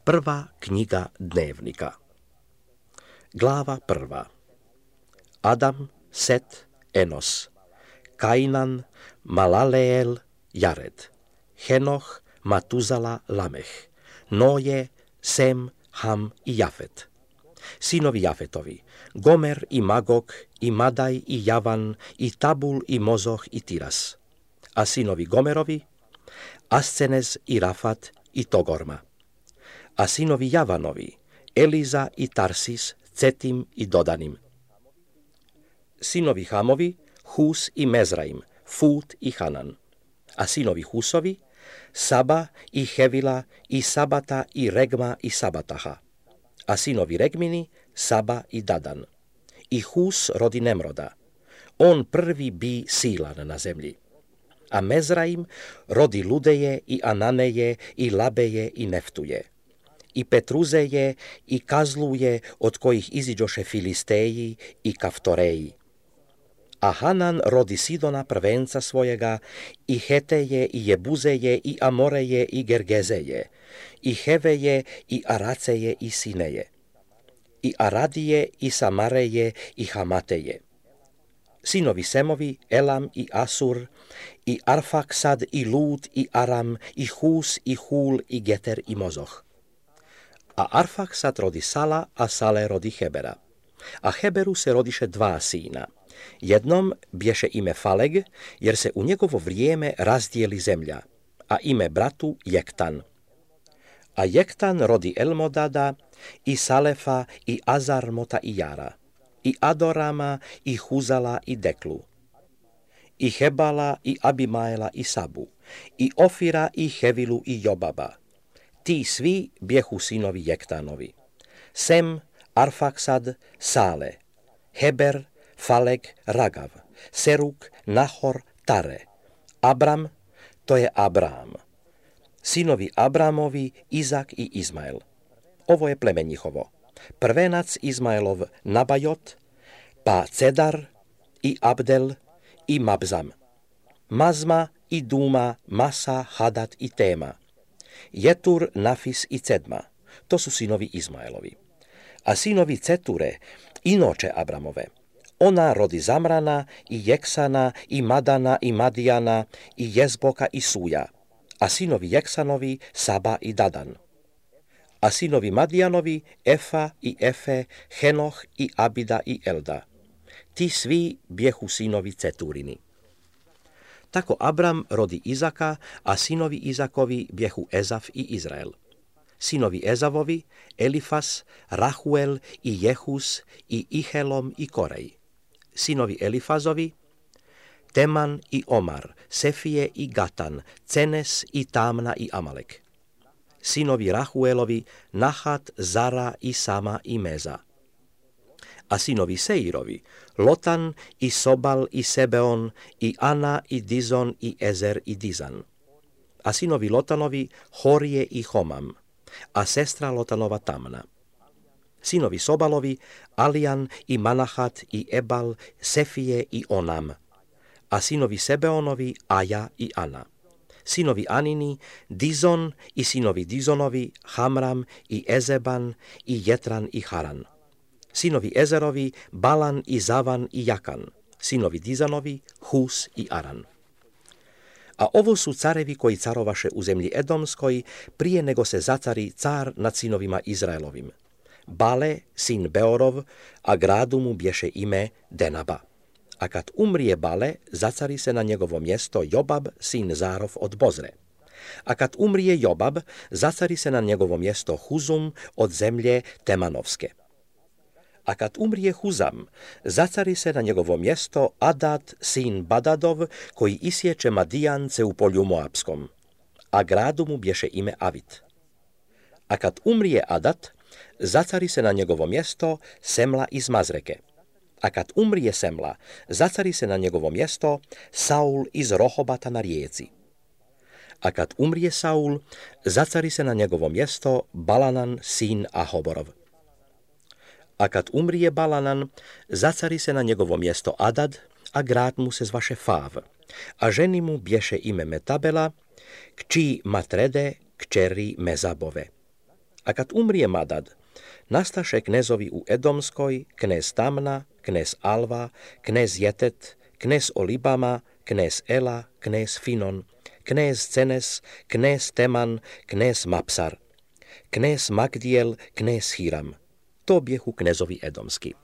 Prva knjiga dnevnika. Glava prva. Adam, Set, Enos, Kainan, Malaleel, Jared, Henoh, Matuzala, Lameh, Noje, Sem, Ham i Jafet. Sinovi Jafetovi, Gomer i Magog i Madaj i Javan i Tabul i Mozoh i Tiras. A sinovi Gomerovi, Ascenez i Rafat i Togorma. A sinovi Javanovi, Eliza i Tarsis, Cetim i Dodanim. Sinovi Hamovi, Hus i Mezraim, Fut i Hanan. A sinovi Husovi, Saba i Hevila i Sabata i Regma i Sabataha. A sinovi Regmini, Saba i Dadan. I Hus rodi Nemroda. On prvi bi silan na zemlji. A Mezraim rodi Ludeje i Ananeje i Labeje i Neftuje. I Petruzeje i Kazluje, od kojih iziđoše Filisteji i Kaftoreji. A Hanan rodi Sidona prvenca svojega, i Heteje i Jebuzeje i Amoreje i Gergezeje, i Heveje i Araceje i Sineje, i Aradije i Samareje i Hamateje. Sinovi Semovi, Elam i Asur, i Arfaksad i Lud i Aram, i Hus i Hul i Geter i Mozoh. A Arfaksad rodi Sala, a Sale rodi Hebera. A Heberu se rodiše dva sina. Jednom bješe ime Faleg, jer se u njegovo vrijeme razdijeli zemlja, a ime bratu Jektan. A Jektan rodi Elmodada, i Salefa, i Azarmota i Jara, i Adorama, i Huzala, i Deklu, i Hebala, i Abimaela, i Sabu, i Ofira, i Hevilu, i Jobaba. Ti svi bjehu sinovi Jektanovi. Sem, Arfaksad, Sale, Heber, Faleg, Ragav, Seruk, Nahor, Tare. Abram, to je Abraham. Sinovi Abramovi, Izak i Izmael. Ovo je pleme njihovo. Prvenac Izmaelov Nabajot, pa Cedar i Abdel i Mabzam. Mazma i Duma, Masa, Hadat i Tema. Jetur, Nafis i Cedma. To su sinovi Izmaelovi. A sinovi Ceture, inoče Abramove. Ona rodi Zamrana i Jeksana i Madana i Madijana i Jezboka i Suja. A sinovi Jeksanovi, Saba i Dadan. A sinovi Madijanovi, Efa i Efe, Henoh i Abida i Elda. Ti svi bjehu sinovi Ceturini. Tako Abram rodi Izaka, a sinovi Izakovi bjehu Ezaf i Izrael. Sinovi Ezavovi, Elifas, Rahuel i Jehus i Ihelom i Korej. Sinovi Elifazovi, Teman i Omar, Sefije i Gatan, Cenes i Tamna i Amalek. Sinovi Rahuelovi, Nahat, Zara i Sama i Meza. A sinovi Seirovi, Lotan i Sobal i Sebeon i Ana i Dizon i Ezer i Dizan. A sinovi Lotanovi, Horije i Homam, a sestra Lotanova Tamna. Sinovi Sobalovi, Alijan i Manahat i Ebal, Sefije i Onam. A sinovi Sebeonovi, Aja i Ana. Sinovi Anini, Dizon i sinovi Dizonovi, Hamram i Ezeban i Jetran i Haran. Sinovi Ezerovi, Balan i Zavan i Jakan. Sinovi Dizanovi, Hus i Aran. A ovo su carevi koji carovaše u zemlji Edomskoj prije nego se zacari car nad sinovima Izraelovim. Bale, sin Beorov, a gradu mu bješe ime Denaba. A kad umrije Bale, zacari se na njegovo mjesto Jobab, sin Zarov od Bozre. A kad umrije Jobab, zacari se na njegovo mjesto Huzum od zemlje Temanovske. A kad umrije Huzam, zacari se na njegovo mjesto Adad, sin Badadov, koji isječe Madijance u polju Moapskom. A gradu mu bješe ime Avit. A kad umrije Adad, zacari se na njegovo mjesto Semla iz Mazreke. A kad umrije Semla, zacari se na njegovo mjesto Saul iz Rohobata na rijeci. A kad umrije Saul, zacari se na njegovo mjesto Balanan, sin Ahoborov. A kad umrije Balanan, zacari se na njegovo mjesto Adad, a grad mu se zvaše Fav, a ženi mu bješe ime Metabela, kći Matrede, kćeri Mezabove. A kad umrije Madad, nastaše knezovi u Edomskoj, knez Tamna, knez Alva, knez Jetet, knez Olibama, knez Ela, knez Finon, knez Cenes, knez Teman, knez Mapsar, knez Magdiel, knez Hiram. To bjehu knezovi edomski.